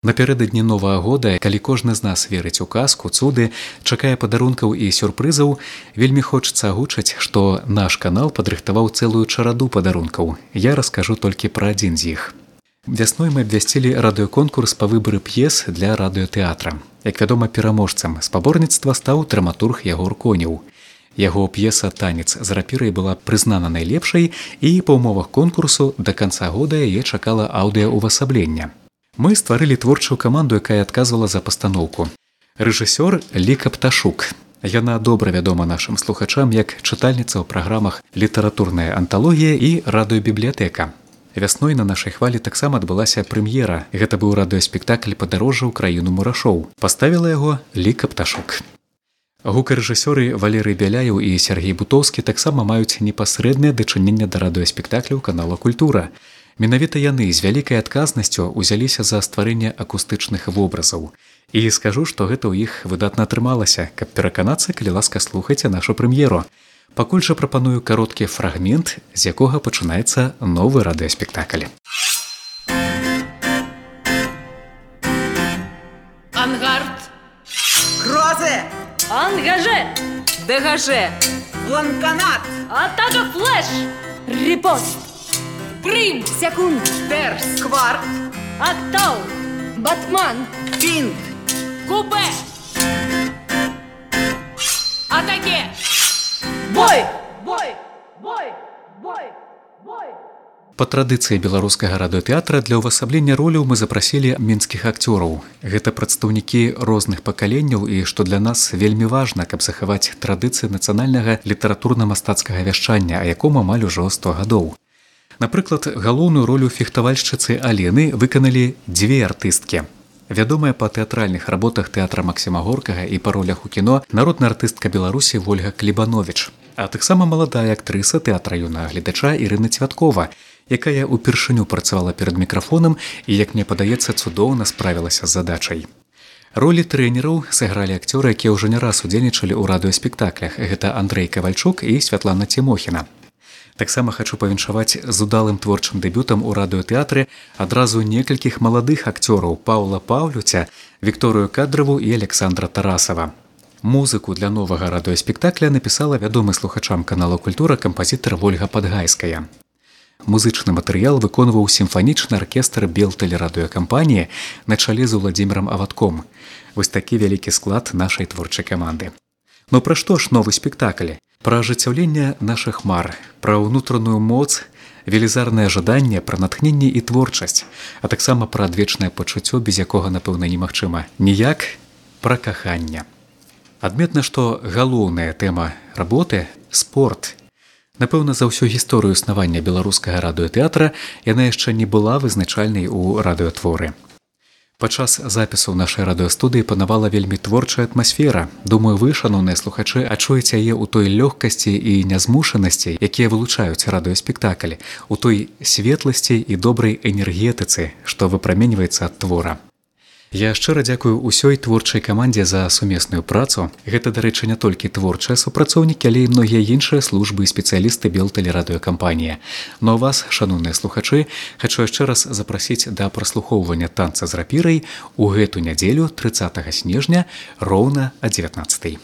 Напярэдадні Новага года, калі кожны з нас верыць у казку, цуды, чакае падарункаў і сюрпрызаў, вельмі хочацца агучыць, што наш канал падрыхтаваў цэлую чараду падарункаў. Я раскажу толькі пра адзін з іх. Вясной мы абвясцілі радыёконкурс па выбары п'ес для радыётэатра. Як вядома, пераможцам спаборніцтва стаў драматург Ягор Конеў. Яго п'еса «Танец з рапірай» была прызнана найлепшай, і па ўмовах конкурсу да канца года яе чакала аўдыаўвасаблення. Мы стварылі творчую каманду, якая адказвала за пастаноўку. Рэжысёр Ліка Пташук. Яна добра вядома нашым слухачам як чытальніца ў праграмах «Літаратурная анталогія» і «Радыёбібліятэка». Вясной на нашай хвалі таксама адбылася прэм'ера. Гэта быў радыёспектакль «Падарожжа ў краіну мурашоў». Паставіла яго Ліка Пташук. Гукарэжысёры Валерый Бяляеў і Сергей Бутоўскі таксама маюць непасрэднае дачыненне да радыёспектакляў канала «Культура». Менавіта яны з вялікай адказнасцю ўзяліся за стварэнне акустычных вобразаў. І скажу, што гэта ў іх выдатна атрымалася. Каб пераканацца, калі ласка, слухайце нашу прэм'еру. Пакуль жа прапаную кароткі фрагмент, з якога пачынаецца новы радыёспектакль. Ангард. Грозе. Ангаже. Дегаже. Бланканат. Атака флеш. Репост. Прим. Секунд. Терс. Кварт. Октал. Батман. Финт. Купе. Атаке. Бой! Бой! Бой! Бой! Бой! Па традыцыі беларускага радыётэатра для ўвасаблення роляў мы запрасілі мінскіх акцёраў. Гэта прадстаўнікі розных пакаленняў і, што для нас вельмі важна, каб захаваць традыцыі нацыянальнага літаратурна-мастацкага вяшчання, а якому амаль ужо 100 гадоў. Напрыклад, галоўную ролю фехтавальшчыцы Алены выканалі дзве артысткі. Вядомая па тэатральных работах тэатра Максіма Горкага і па ролях у кіно народная артыстка Беларусі Вольга Клебанович, а таксама маладая актрыса тэатра юнага гледача Ірына Цвяткова, якая ўпершыню працавала перад мікрафонам і, як мне падаецца, цудоўна справілася з задачай. Ролі трэнераў сыгралі акцёры, якія ўжо не раз удзельнічалі ў радыёспектаклях. Гэта Андрэй Кавальчук і Святлана Цімохіна. Таксама хачу павіншаваць з удалым творчым дэбютам у радыётэатры адразу некалькіх маладых акцёраў Паўла Паўлюця, Вікторыю Кадраву і Александра Тарасава. Музыку для новага радыёспектакля напісала вядомы слухачам канала «Культура» кампазітар Вольга Падгайская. Музычны матэрыял выконваў сімфанічны аркестр Белтэлерадыёкампаніі на чале з Уладзімірам Авадком. Вось такі вялікі склад нашай творчай каманды. Но пра што ж новы спектакль? Пра ажыццяўленне нашых мар, пра ўнутраную моц, велізарнае жаданне, пра натхненне і творчасць, а таксама пра адвечнае пачуццё, без якога, напэўна, немагчыма. Ніяк пра каханне. Адметна, што галоўная тэма работы – спорт. Напэўна, за ўсю гісторыю існавання беларускага радыётэатра яна яшчэ не была вызначальнай у радыётворы. Падчас запісу ў нашай радыёстудыі панавала вельмі творчая атмасфера. Думаю, вы, шаноўныя слухачы, адчуеце яе ў той лёгкасці і нязмушанасці, якія вылучаюць радыёспектакль, у той светласці і добрай энергетыцы, што выпраменьваецца ад твора. Я шчыра дзякую ўсёй творчай камандзе за сумесную працу. Гэта, дарэчы, не толькі творчыя супрацоўнікі, але і многія іншыя службы і спецыялісты Белтэлерадыёкампаніі. Но вас, шаноўныя слухачы, хачу яшчэ раз запрасіць да праслухоўвання «Танца з рапірай» у гэту нядзелю, 30 снежня, роўна о 19:00.